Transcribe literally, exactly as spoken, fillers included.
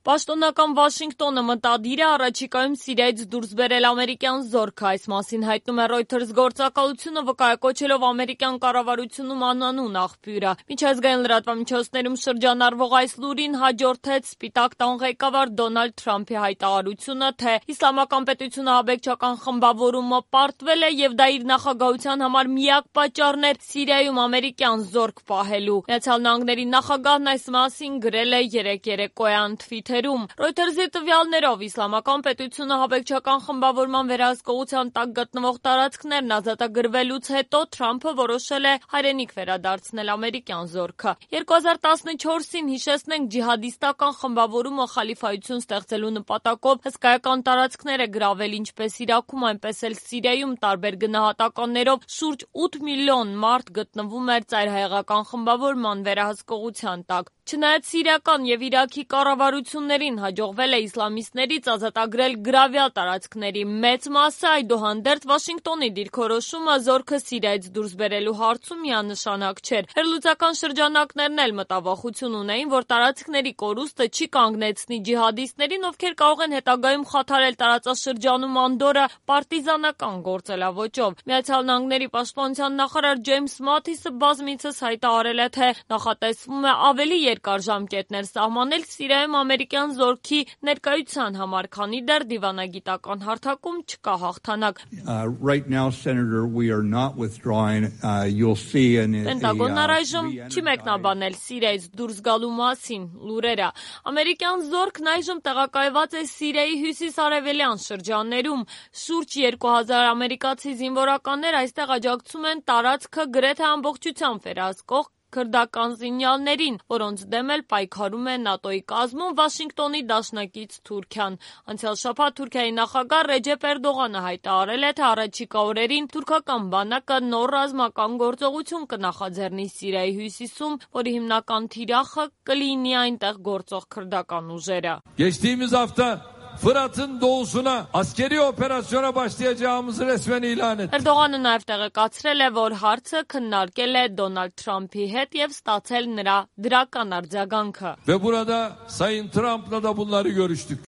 Պաշտոնական Վաշինգտոնը մտադիր է առաջիկայում Սիրիայից դուրս բերել ամերիկյան զորքը, այս մասին հայտնում է Reuters գործակալությունը, վկայակոչելով ամերիկյան կառավարությունում անանուն աղբյուրը։ Միջազգային լրատվամիջոցներում շրջանառվող այս լուրին հաջորդեց Սպիտակ տան ղեկավար Դոնալդ Թրամփի հայտարարությունը, թե Իսլամական պետությունը ահաբեկչական խմբավորումը պարտվել է եւ դա իր նախագահության համար միակ պատճառն էր Սիրիայում ամերիկյան զորք պահելու։ Միացյալ Նահանգների նախագահն այս մասին գրել է երեկ երեկոյան Twitter-ում։ Reuters-ի տվյալներով Իսլամական պետությունը ահաբեկչական խմբավորման վերահսկողության տակ գտնվող տարածքներն ազատագրվելուց հետո Թրամփը որոշել է հայրենիք վերադարձնել ամերիկյան զորքը։ երկու հազար տասնչորսին հիշեցնենք ջիհադիստական խմբավորումը խալիֆայություն ստեղծելու նպատակով հսկայական տարածքներ է գրավել ինչպես Իրաքում, այնպես էլ Սիրիայում տարբեր գնահատականներով շուրջ ութ միլիոն մարդ գտնվում էր ծայրահեղական խմբավորման վերահսկողության տակ։ Չնայած սիրիական եւ Իրաքի կառավարություններին հաջողվել է իսլամիստներից ազատագրել գրավյալ տարածքների մեծ մասը, այդուհանդերձ Վաշինգտոնի դիրքորոշումը զորքը Սիրիայից դուրս բերելու հարցում միանշանակ չէր։ Վերլուծական շրջանակներն էլ մտավախություն ունեին, որ տարածքների կորուստը չի կանգնեցնի ջիհադիստներին, ովքեր կարող են հետագայում խաթարել տարածաշրջանում անդորը պարտիզանական գործելավոճով։ Միացյալ Նահանգների պաշտպանության նախարար Ջեյմս Մաթիսը բազմիցս հայտարարել է, թե նախատեսվում է ավելի երկար ժամկետներ սահմանել Սիրիայում ամերիկյան զորքի ներկայության համար, քանի դեռ դիվանագիտական հարթակում չկա հաղթանակ։ Պենտագոնն առայժմ չի մեկնաբանել Սիրիայից դուրս գալու մասին լուրերը։ Ամերիկյան զորքն այժմ տեղակայված է Սիրիայի հյուսիս-արևելյան շրջաններում։ Շուրջ երկու հազար ամերիկացի զինվորականներ այստեղ աջակցում են տարածքը գրեթե ամբողջությամբ վերահսկող քրդական զինյալներին, որոնց դեմ էլ պայքարում է ՆԱՏՕ-ի կազմում Վաշինգտոնի դաշնակից Թուրքիան։ Անցյալ շաբաթ Թուրքիայի նախագահ Ռեջեփ Էրդողանը հայտարարել է, թե առաջիկա օրերին թուրքական բանակը նոր ռազմական գործողություն կնախաձեռնի Սիրիայի հյուսիսում, որի հիմնական թիրախը կլինի այնտեղ գործող քրդական ուժերը։ Geçtiğimiz hafta Fırat'ın doğusuna askeri operasyona başlayacağımızı resmen ilan etti. Էրդողանը նաև տեղեկացրել է, որ հարցը քննարկել է Դոնալդ Թրամփի հետ եւ ստացել նրա դրական արձագանքը։ Ve burada Sayın Trump'la da bunları görüştük.